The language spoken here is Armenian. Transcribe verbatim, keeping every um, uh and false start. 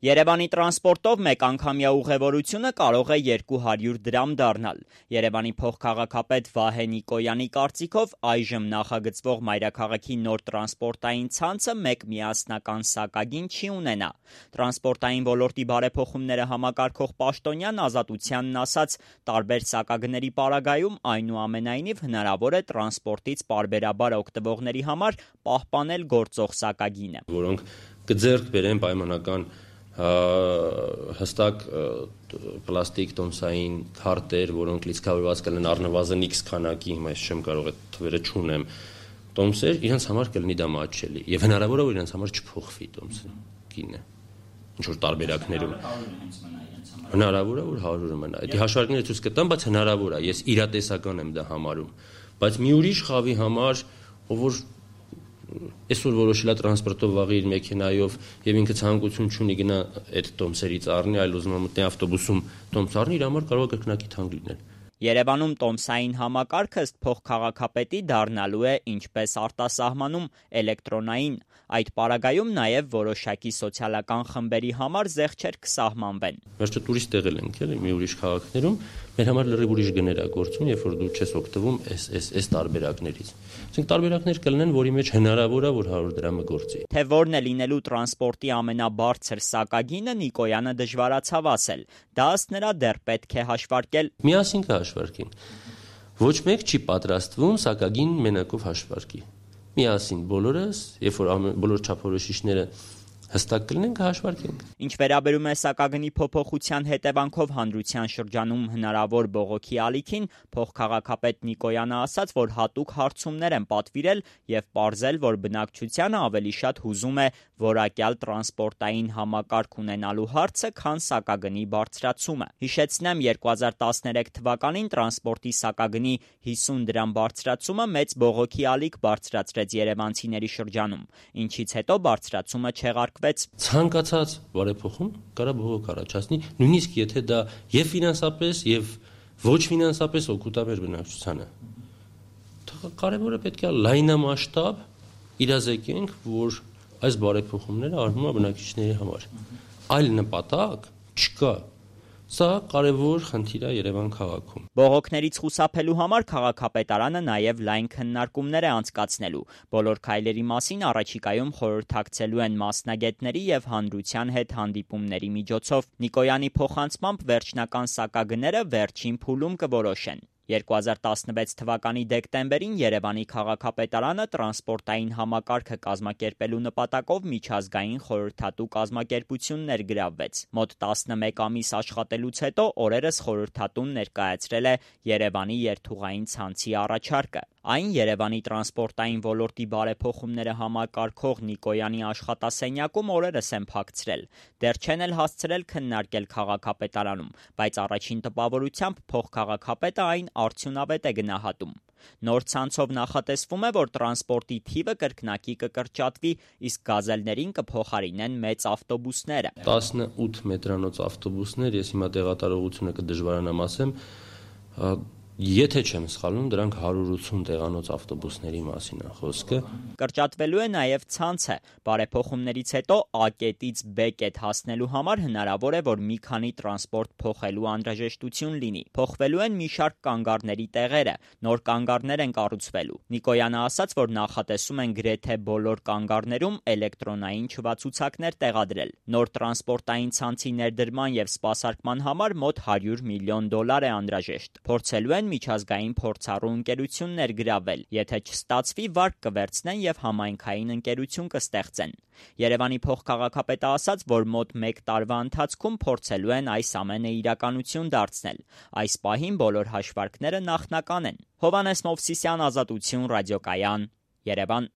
Երևանի տրանսպորտով մեկ անգամյա ուղևորությունը կարող է երկու հարյուր դրամ դառնալ։ Երևանի փոխքաղաքապետ Վահե Նիկոյանի կարծիքով այժմ նախագծվող մայրաքաղաքի նոր տրանսպորտային ցանցը մեկ միասնական սակագին չի ունենա։ Տրանսպորտային ոլորտի բարեփոխումները համակարգող պաշտոնյան Ազատությանն ասաց, տարբեր սակագների պարագայում այնուամենայնիվ հնարավոր է տրանսպորտից պարբերաբար օգտվողների համար պահպանել գործող սակագինը, որոնք կձեռք բերեն պայմանական հստակ պլաստիկ տոմսային քարտեր, որոնք լիցքավորված կլինեն առնվազն X քանակի, հիմա ես չեմ կարող այդ թվերը չունեմ, տոմսեր, իրենց համար կլինի դա մատչելի եւ հնարավոր է որ իրենց համար չփոխվի տոմսը գինը ինչ որ տարբերակներում հնարավոր է որ հարյուրը մնա։ Դա հաշվարկները ցույց կտան, բայց հնարավոր է, ես իրատեսական եմ դա համարում, բայց մի ուրիշ խավի համար, ով որ այսօր որոշել է տրանսպորտով վաղի իր մեքենայով եւ ինքը ցանկություն չունի գնա այդ տոմսերից առնի, այլ ուզում է մտնի ավտոբուսում տոմս առնի, իր համար կարող է կրկնակի թանկ լինել։ Երևանում տոմսային համակարգը ըստ փոխքաղաքապետի դառնալու է ինչպես արտասահմանում էլեկտրոնային, այդ պարագայում նաև որոշակի սոցիալական խմբերի համար զեղչեր կսահմանվեն։ Վերջը տուրիստ եղել ենք, էլի, մի ուրիշ քաղաքներում, մեր համար լրիվ ուրիշ գներ է գործում, երբ որ դու չես օգտվում այս այս այս տարբերակներից։ Այսինքն տարբերակներ կլինեն, որի մեջ հնարավոր է որ հարյուր դրամը գործի։ Թե որն է լինելու տրանսպորտի ամենաբարձր սակագինը Նիկոյանը դժվարացավ ասել։ Դա ըստ նրա դեռ պետք է հաշվարկել։ Միասին կհաշվարկենք։ Ոչ մեկ չի պատրաստվում սակագին մենակով հաշվարկի։ Միասին բոլորս, երբ որ բոլոր չափորոշիչները հստակ կլինեն, կհաշվարկենք։ Ինչ վերաբերում է սակագնի փոփոխության հետևանքով հանրության շրջանում հնարավոր բողոքի ալիքին, փոխքաղաքապետ Նիկոյանը ասաց, որ հատուկ հարցումներ են պատվիրել եւ պարզել, որ բնակչությանը ավելի շատ հուզում է որակյալ տրանսպորտային համակարգ ունենալու հարցը, քան սակագնի բարձրացումը։ Հիշեցնեմ, երկու հազար տասներեք թվականին տրանսպորտի սակագնի հիսուն դրամ բարձրացումը մեծ բողոքի ալիք բարձրացրեց երևանցիների շրջանում, ինչից հետո բարձրացումը չեղարկվեց։ Ցանկացած բարեփոխում կարա բողոք առաջացնի, նույնիսկ եթե դա եւ ֆինանսապես եւ ոչ ֆինանսապես օգուտ է մեր բնակչությանը։ Կարևորը պետք է լայնամասշտաբ իրազեկենք, որ այս բարեփոխումները արվում է բնակիչների համար։ Այլ նպատակ չկա։ Սա կարևոր խնդիր է Երևան քաղաքում։ Բողոքներից խուսափելու համար քաղաքապետարանը նաև լայն քննարկումներ է անցկացնելու։ Բոլոր քայլերի մասին առաջիկայում խորհրդակցելու են մասնագետների եւ հանրության հետ հանդիպումների միջոցով։ Նիկոյանի փոխանցմամբ վերջնական սակագները վերջին փուլում կորոշեն։ երկու հազար տասնվեց թվականի դեկտեմբերին Երևանի քաղաքապետարանը տրանսպորտային համակարգը կազմակերպելու նպատակով միջազգային խորհրդատու կազմակերպություն ներգրավվեց։ Մոտ տասնմեկ ամիս աշխատելուց հետո օրերս խորհրդատուն ներկայացրել է Երևանի երթուղային ցանցի առաջարկը։ Այն Երևանի տրանսպորտային ոլորտի բարեփոխումները համակարգող Նիկոյանի աշխատասենյակում օրերս են փակցրել։ Դեռ չեն էլ հասցրել քննարկել քաղաքապետարանում, բայց առաջին տպավորությամբ փոխքաղաքապետը այն արդյունավետ է գնահատում։ Նոր ցանցով նախատեսվում է, որ տրանսպորտի թիվը կրկնակի կկրճատվի, իսկ գազելներին կփոխարինեն մեծ ավտոբուսները։ տասնութ մետրանոց ավտոբուսներ, ես հիմա տեղատարողությունը կդժվարանամ ասեմ, եթե չեմ սխալվում, դրանք հարյուր ութուն տեղանոց ավտոբուսների մասին է խոսքը։ Կրճատվելու է նաև ցանցը։ Բարեփոխումներից հետո A կետից B կետ հասնելու համար հնարավոր է, որ մի քանի տրանսպորտ փոխելու անհրաժեշտություն լինի։ Փոխվելու են մի շարք կանգառների տեղերը, նոր կանգառներ են կառուցվելու։ Նիկոյանը ասաց, որ նախատեսում են գրեթե բոլոր կանգառներում էլեկտրոնային չվացուցակներ տեղադրել։ Նոր տրանսպորտային ցանցի ներդրման եւ սպասարկման համար մոտ հարյուր միլիոն դոլար է անհրաժեշտ։ Փորձելու են միջազգային փորձառու ընկերություն ներգրավել, եթե չստացվի, վարկ կվերցնեն եւ համայնքային ընկերություն կստեղծեն։ Երևանի փոխքաղաքապետը ասաց, որ մոտ մեկ տարվա ընթացքում փորձելու են այս ամենը իրականություն դարձնել։ Այս պահին բոլոր հաշվարկները նախնական են։ Հովհաննես Մովսիսյան, Ազատություն, ռադիոկայան, Երևան։